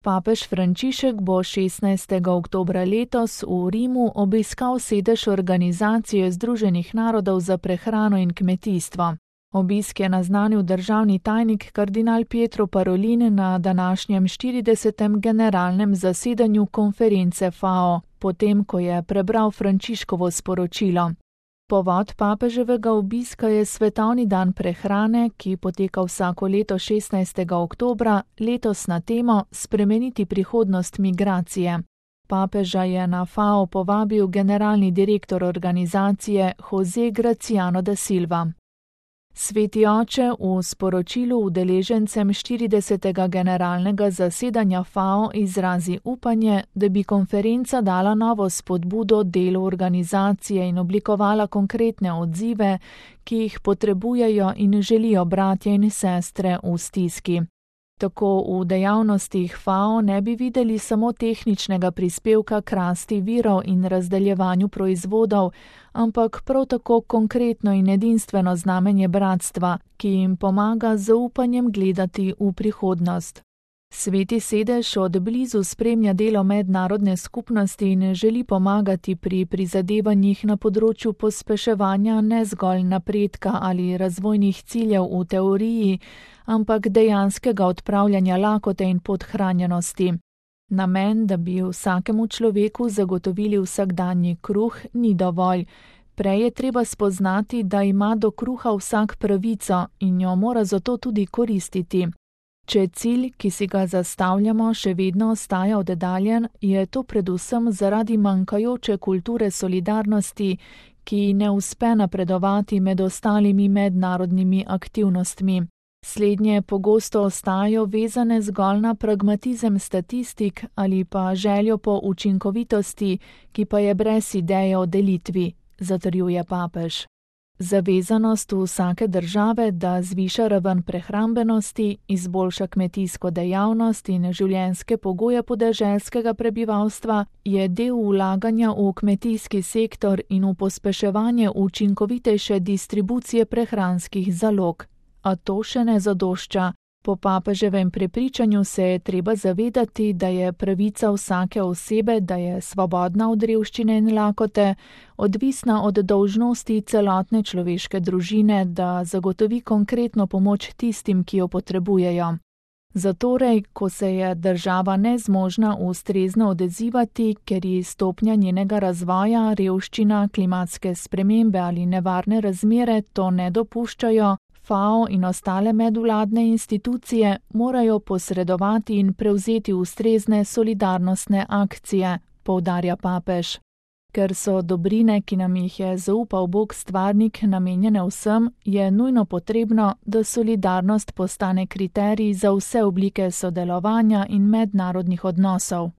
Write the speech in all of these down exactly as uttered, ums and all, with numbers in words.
Papež Frančišek bo šestnajstega oktobra letos v Rimu obiskal sedež Organizacije Združenih narodov za prehrano in kmetijstvo. Obisk je naznanil državni tajnik kardinal Pietro Parolin na današnjem štiridesetem generalnem zasedanju konference F A O, potem ko je prebral Frančiškovo sporočilo. Povod papeževega obiska je Svetovni dan prehrane, ki poteka vsako leto šestnajstega oktobra, letos na temo Spremeniti prihodnost migracije. Papeža je na F A O povabil generalni direktor organizacije José Graciano da Silva. Sveti oče v sporočilu udeležencem štiridesetega generalnega zasedanja F A O izrazi upanje, da bi konferenca dala novo spodbudo delu organizacije in oblikovala konkretne odzive, ki jih potrebujejo in želijo bratje in sestre v stiski. Tako v dejavnostih F A O ne bi videli samo tehničnega prispevka k rasti virov in razdeljevanju proizvodov, ampak prav tako konkretno in edinstveno znamenje bratstva, ki jim pomaga z zaupanjem gledati v prihodnost. Sveti sedež od blizu spremlja delo mednarodne skupnosti in želi pomagati pri prizadevanjih na področju pospeševanja ne zgolj napredka ali razvojnih ciljev v teoriji, ampak dejanskega odpravljanja lakote in podhranjenosti. Namen, da bi vsakemu človeku zagotovili vsakdanji kruh, ni dovolj. Prej je treba spoznati, da ima do kruha vsak pravico in jo mora zato tudi koristiti. Če cilj, ki si ga zastavljamo, še vedno ostaja oddaljen, je to predvsem zaradi manjkajoče kulture solidarnosti, ki ne uspe napredovati med ostalimi mednarodnimi aktivnostmi. Slednje pogosto ostajajo vezane zgolj na pragmatizem statistik ali pa željo po učinkovitosti, ki pa je brez ideje o delitvi, zatrjuje papež. Zavezanost vsake države, da zviša raven prehrambenosti, izboljša kmetijsko dejavnost in življenjske pogoje podeželskega prebivalstva, je del vlaganja v kmetijski sektor in v pospeševanje učinkovitejše distribucije prehranskih zalog. A to še ne zadošča. Po papeževem prepričanju se je treba zavedati, da je pravica vsake osebe, da je svobodna od revščine in lakote, odvisna od dolžnosti celotne človeške družine, da zagotovi konkretno pomoč tistim, ki jo potrebujejo. Zatorej, ko se je država nezmožna ustrezno odzivati, ker ji stopnja njenega razvoja, revščina, klimatske spremembe ali nevarne razmere to ne dopuščajo, F A O in ostale medvladne institucije morajo posredovati in prevzeti ustrezne solidarnostne akcije, poudarja papež. Ker so dobrine, ki nam jih je zaupal Bog stvarnik, namenjene vsem, je nujno potrebno, da solidarnost postane kriterij za vse oblike sodelovanja in mednarodnih odnosov.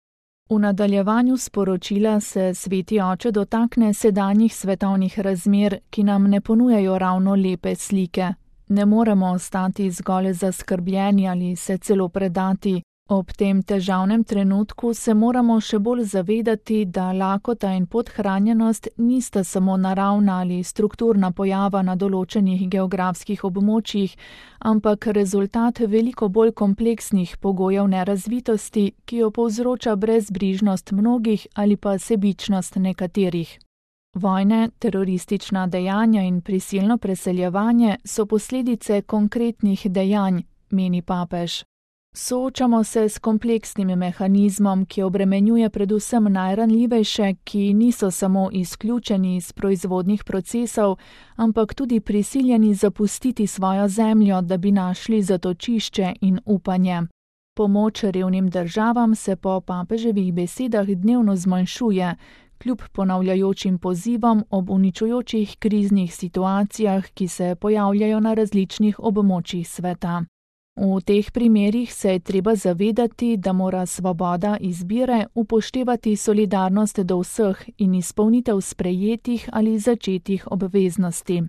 V nadaljevanju sporočila se sveti oče dotakne sedanjih svetovnih razmer, ki nam ne ponujajo ravno lepe slike. Ne moremo ostati zgolj zaskrbljeni ali se celo predati. Ob tem težavnem trenutku se moramo še bolj zavedati, da lakota in podhranjenost nista samo naravna ali strukturna pojava na določenih geografskih območjih, ampak rezultat veliko bolj kompleksnih pogojev nerazvitosti, ki jo povzroča brezbrižnost mnogih ali pa sebičnost nekaterih. Vojne, teroristična dejanja in prisilno preseljevanje so posledice konkretnih dejanj, meni papež. Soočamo se s kompleksnim mehanizmom, ki obremenjuje predvsem najranljivejše, ki niso samo izključeni iz proizvodnih procesov, ampak tudi prisiljeni zapustiti svojo zemljo, da bi našli zatočišče in upanje. Pomoč revnim državam se po papeževih besedah dnevno zmanjšuje, kljub ponavljajočim pozivom ob uničujočih kriznih situacijah, ki se pojavljajo na različnih območjih sveta. V teh primerih se je treba zavedati, da mora svoboda izbire upoštevati solidarnost do vseh in izpolnitev sprejetih ali začetih obveznosti.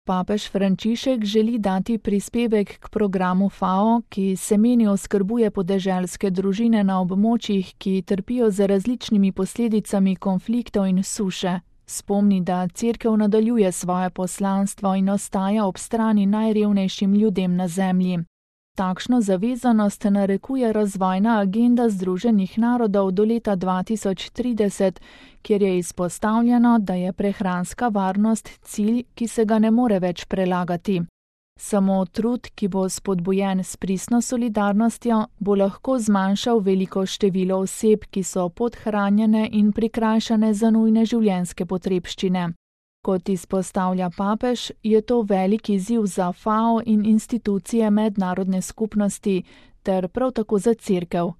Papež Frančišek želi dati prispevek k programu F A O, ki semeni oskrbuje podeželske družine na območjih, ki trpijo za različnimi posledicami konfliktov in suše. Spomni, da Cerkev nadaljuje svoje poslanstvo in ostaja ob strani najrevnejšim ljudem na zemlji. Takšno zavezanost narekuje razvojna agenda Združenih narodov do leta dva tisoč trideset, kjer je izpostavljeno, da je prehranska varnost cilj, ki se ga ne more več prelagati. Samo trud, ki bo spodbujen s pristno solidarnostjo, bo lahko zmanjšal veliko število oseb, ki so podhranjene in prikrajšane za nujne življenjske potrebščine. Kot izpostavlja papež, je to velik izziv za F A O in institucije mednarodne skupnosti ter prav tako za Cerkev.